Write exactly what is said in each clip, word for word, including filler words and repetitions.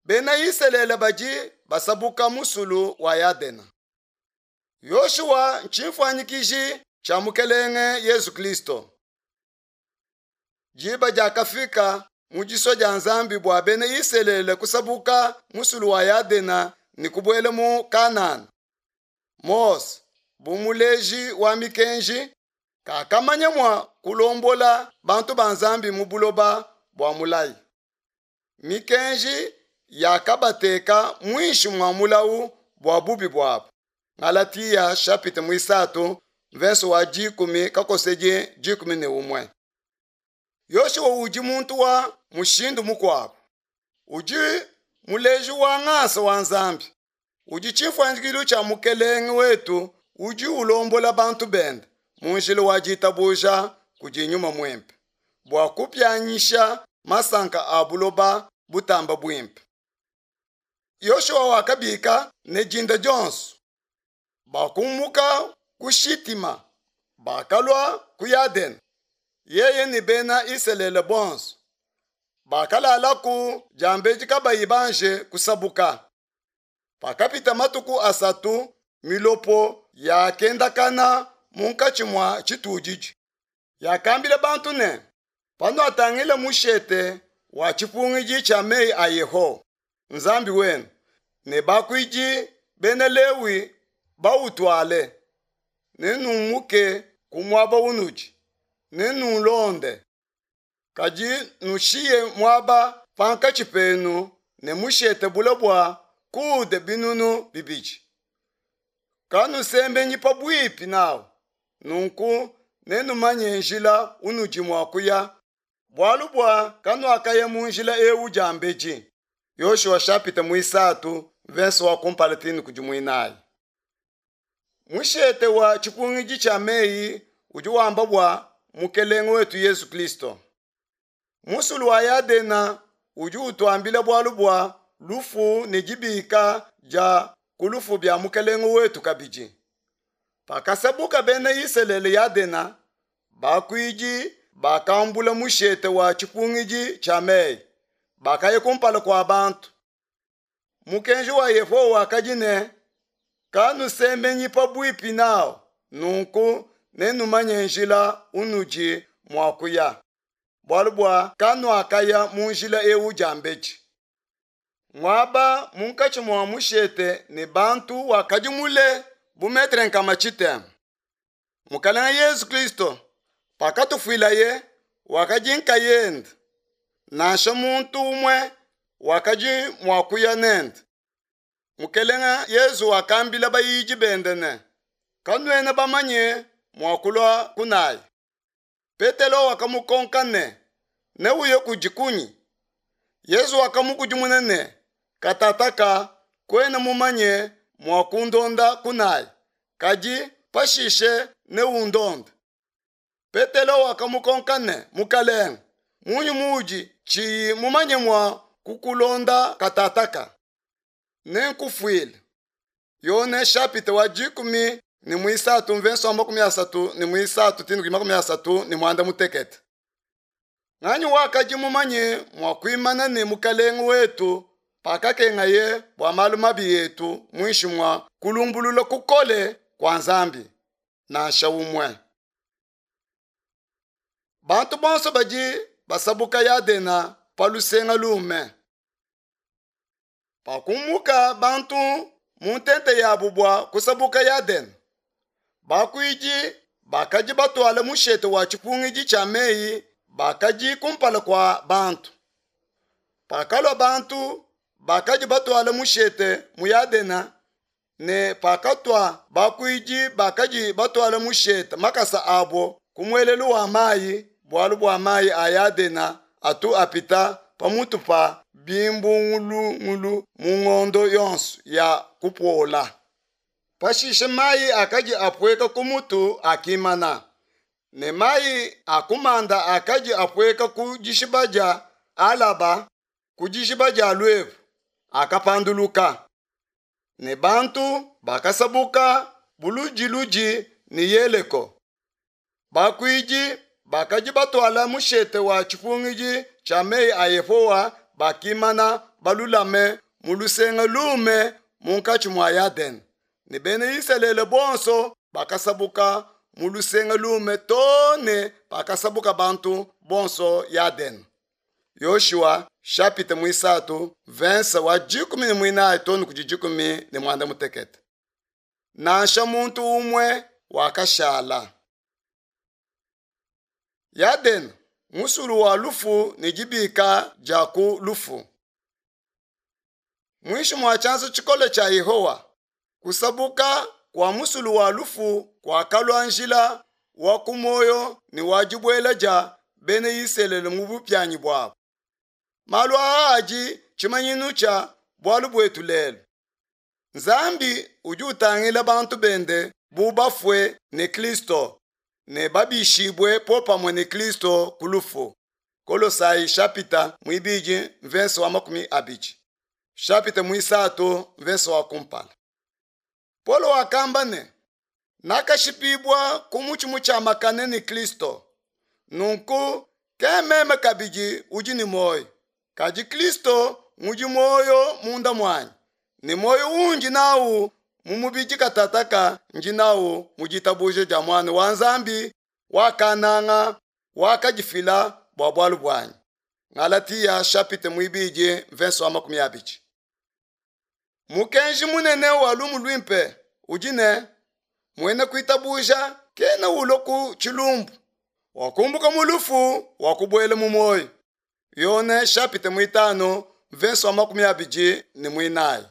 Bena Isalele badi basabuka musulu wa Yadena. Yoshua ntshimfuanyikiji tshia Mukelenge Yesu Kristo. Diba diakafika mu disua dia Nzambi bua bena Isalele kusabuka musulu wa Yadena ne kubuela mu Kanana. Mose, bu muleji wa mikenji, kakamanya mua kulombola bantu ba Nzambi mu buloba bua mulayi. Mikenji yakabateka muinshi mua mulawu bua bubi buabu. Galatia chapitre muisatu verse wa dikumi kakosedi dikumi ne umue. Yoshua udi muntu wa mushindu mukuabu. Udi muleji wa ngasa wa Nzambi. Udi tshimfuanyikilu tshia Mukelenge wetu udi ulombola bantu bende mu njila wa ditabuja kudi Nyuma Muimpe bua kupianyisha masanka a buloba butamba buimpe. Yoshua wakabika ne dinda dionso. Bakumuka ku Shitima, bakalua ku Yadene. Yeye ne bena Isalele bonso bakalalaku diambedi kabayi banje kusabuka. Pakapita matuku asatu, milopo yakendakana munkatshi mua tshitudidi. Yakambila bantu ne, panuatangila mushete wa tshipungidi tshia meyi a Yehowa, Nzambi wenu, ne bakuidi bena Lewi bautuale, nenumuke ku muaba unudi, nenulonde. Kadi nushiye muaba pankatshi penu ne mushete bule bua kude binunu bibidi. Kanusembenyi pabuipi nawu, nunku nenumanye njila unudi mua kuya, bualu bua kanuakaya mu njila ewu diambedi. Yoshua chapitre muisatu verse wa kumpala tini kudi muinayi. Mushete wa tshipungidi tshia meyi udi wamba bua Mukelenge wetu Yesu Kristo. Musulu wa Yadena udi utuambila bualu bua lufu ne dibika dia ku lufu bia Mukelenge wetu kabidi. Pakasabuka bena Isalele Yadena, bakuidi bakambula mushete wa tshipungidi tshia meyi, bakaya kumpala kua bantu. Mukenji wa Yehowa wakadi ne, kanusemenyi pabuipi nawu, nunku nenumanye njila unudi mua kuya, bualu bua kanuakaya mu njila ewu diambedi. Muaba munkatshi mua mushete ne bantu wakadi mule bu metre nkama tshitema. Mukalenge Yesu Kristo pakatufuilaye wakadi nkayende, nansha muntu umue wakadi mua kuya nende. Mukelenge Yesu wakambila bayidi bende ne, kanuena bamanye mua kulua kunayi. Petelo wakamukonka ne, neuye kudi kunyi? Yesu wakamukudimuna ne, katataka kuena mumanye mua kundonda kunayi, kadi pashishe neundonde. Petelo wakamukonka ne, Mukalenge, munyi muudi tshiyi mumanye mua kukulonda katataka? Nenkufuile. Yone chapitre wa dikumi ne muisatu mvenso wa makumi asatu ne muisatu tinu makumi asatu ne muanda mutekete. Nganyi wakadi mumanye mua kuimana ne Mukalenge wetu pakakengaye bua malu mabi etu muinshi mua kulumbulula kukole kua Nzambi? Nansha umue. Bantu bonso badi basabuka Yadena pa lusenga lume. Pakumuka bantu mu ntente yabu bua kusabuka Yadena, bakuidi bakadi batuala mushete wa tshipungidi tshia meyi bakadi kumpala kua bantu. Pakalua bantu bakadi batuala mushete mu Yadena, ne pakatua bakuidi bakadi batuala mushete makasa abo ku muelelu wa mayi, bualu bua mayi a Yadena atu apita pamutu pa bimbungulungulu mu ngondo yonso ya kupola. Pashishe mayi akadi apueka ku mutu akimana, ne mayi akumanda akadi apueka ku dishiba dia Alaba ku dishiba dia Luevu akapanduluka, ne bantu bakasabuka buludiludi ne Yeleko. Bakuidi bakadi batuala mushete wa tshipungidi tshia meyi a Yehowa bakimana balulame mu lusenga lume munkatshi mua Yadene, ne bena Isalele bonso bakasabuka mu lusenga lume too ne pakasabuka bantu bonso Yadene. Yoshua chapitre muisatu verse wa dikumi ne muinayi too ne kudi dikumi ne muanda mutekete. Nansha muntu umue wakashala. Yadene, musulu wa lufu ne dibika dia ku lufu. Muinshi mua tshianza tshikole tshia Yehowa, kusabuka kua musulu wa lufu kuakalua njila wa ku muoyo ne wa dibuela dia bena Isalele mu bupianyi buabu. Malu aa adi tshimanyinu tshia bualu buetu lelu. Nzambi udi utangila bantu bende bu bafue ne Kristo ne babishibue popamue ne Kristo ku lufu. Kolosai chapitre muibidi verse wa makumi abidi. Chapitre muisatu verse wa kumpala. Paulo wakamba ne, nakashipibua ku mutshi mutshiamakane ne Kristo. Nunku ke meme kabidi udi ne muoyo, kadi Kristo ngudi muoyo munda muanyi, ne muoyo undi nawu mu mubidi katataka ndi nawu mu ditabuja dia Muana wa Nzambi wakananga wakadifila bua bualu buanyi. Galatia chapitre muibidi verse wa makumi abidi. Mukenji munene wa lumu luimpe udi ne, muena kuitabuja kena ulua ku tshilumbu, wakumbuka mu lufu wakubuela mu muoyo. Yone chapitre muitanu verse wa makumi abidi ne muinayi.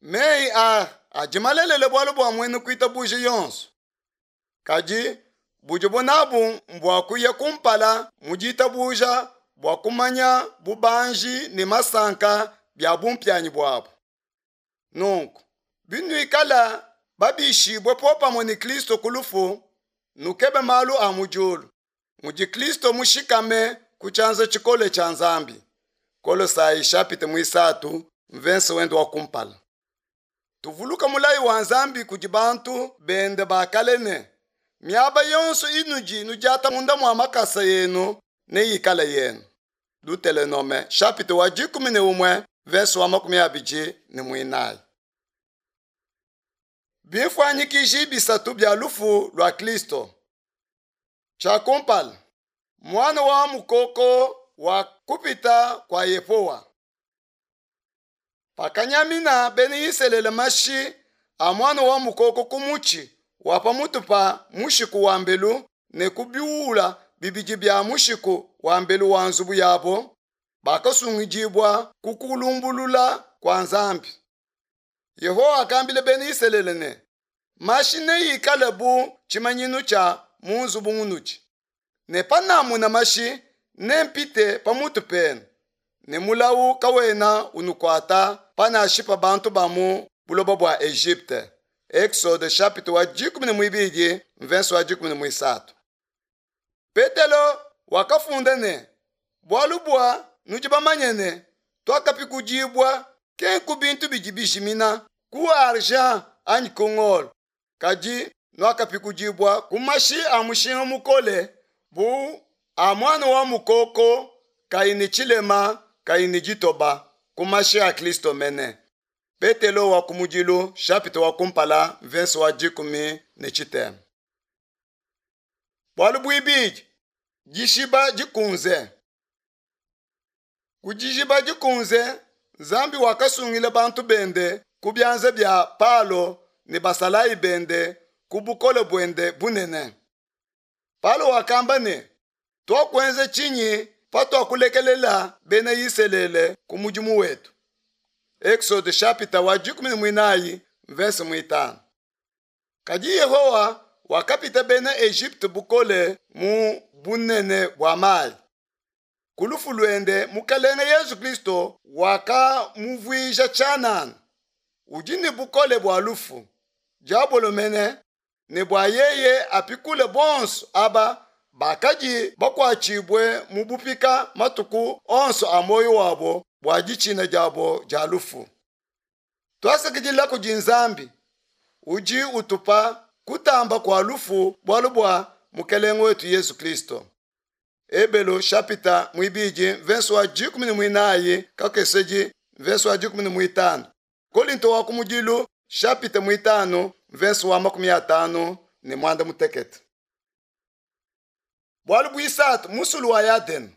Meyi a adi malelele bualu bua muena kuitabuja yonso. Kadi budibo nabu mbua kuya kumpala mu ditabuja bua kumanya bubanji ne masanka bia bumpianyi buabu. Nunku binuikala babishibue popamue ne Kristo ku lufu, nukebe malu a mu diulu, mudi Kristo mushikame ku tshianza tshikole tshia Nzambi. Kolosai chapitre muisatu verse wende wa kumpala. Tuvuluka mulayi wa Nzambi kudi bantu bende ba kale ne, miaba yonso inudi nudiata munda mua makasa yenu neyikale yenu. Deuteronome chapitre wa dikumi ne umue verse wa makumi abidi ne muinayi. Bimfuanyikiji bisatu bia lufu lua Kristo. Tshia kumpala, muana wa mukoko wa kupita kua Yehowa. Pakanyamina bena Isalele mashi a muana wa mukoko ku mutshi wa pamutu pa mushiku wa mbelu ne ku biula bibidi bia mushiku wa mbelu wa nzubu yabo, bakasungidibua ku kulumbulula kua Nzambi. Yehowa akambila bena Isalele ne, mashi neyikale bu tshimanyinu tshia mu nzubu munudi, ne panamuna mashi nempite pamutu penu, ne mulawu kawena unukuata panashipa bantu ba mu buloba bua Egypte. Exode chapitre wa dikumi ne muibidi verse wa dikumi ne muisatu. Petelo wakafunda ne, bualu bua nudi bamanye ne tuakapikudibua ke ku bintu bidi bijimina, ku argent anyi ku ngolo, kadi nuakapikudibua ku mashi a mushinga mukole bu a muana wa mukoko kayi ne tshilema kayi ne ditoba, ku mashi a Kristo mene. Petelo wa kumudilu chapitre wa kumpala verse wa dikumi ne tshitema. Bualu buibidi, dishiba dikunze. Ku dishiba dikunze, Nzambi wakasungila bantu bende ku bianza bia Palo ne basalayi bende ku bukole buende bunene. Palo wakamba ne, tuakuenza tshinyi patuakulekelela bena Isalele ku mudimu wetu? Exode chapitre wa dikumi ne muinayi verse muitanu. Kadi Yehowa wakapita bena Egypte bukole mu bunene bua mayi. Ku lufu luende Mukalenge Yesu Kristo wakamuvuija tshianana, udi ne bukole bua lufu, diabolo mene, ne bua yeye apikule bonso aba bakadi bakuatshibue mu bupika matuku onso a muoyo wabo bua ditshina diabo dia lufu. Tuasakidila kudi Nzambi udi utupa kutamba kua lufu bualu bua Mukelenge wetu Yesu Kristo. Ebelu chapitre muibidi verse wa dikumi ne muinayi kakesedi verse wa dikumi ne muitanu. Kolinto wa kumudilu chapitre muitanu verse wa makumi atanu ne mwanda mutekete. Bualu buisatu musulu wa Yadena.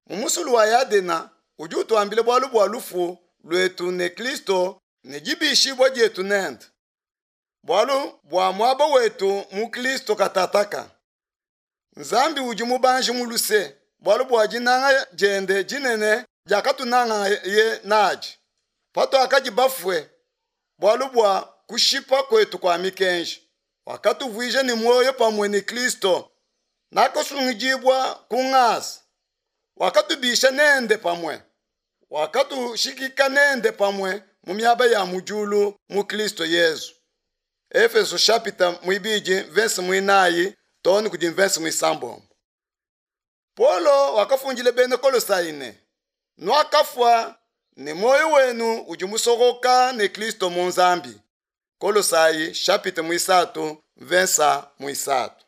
Mu musulu wa Yadena udi utuambila bualu bua lufu luetu ne Kristo ne dibishibua dietu nende. Bualu bua muaba wetu mu Kristo katataka. Nzambi udi mubanji mu luse, bualu bua dinanga diende dinene diakatunangaye nadi. Patuakadi bafue, bualu bua kushipa kwetu kwa mikenji, wakatuvuija ne muoyo pamue ne Kristo. Nakasungidibua ku ngasa. Wakatubisha nende pamue. Wakatushikika nende pamue mu miaba ya mu diulu mu Kristo Yezu. Efeso chapitre muibidi verse muinayi too ne kudi verse muisambombo. Paulo wakafundile bena Kolosai ne, nuakafua ne muoyo wenu udi musokoka ne Kristo mu Nzambi. Kolosai chapitre muisatu verse muisatu.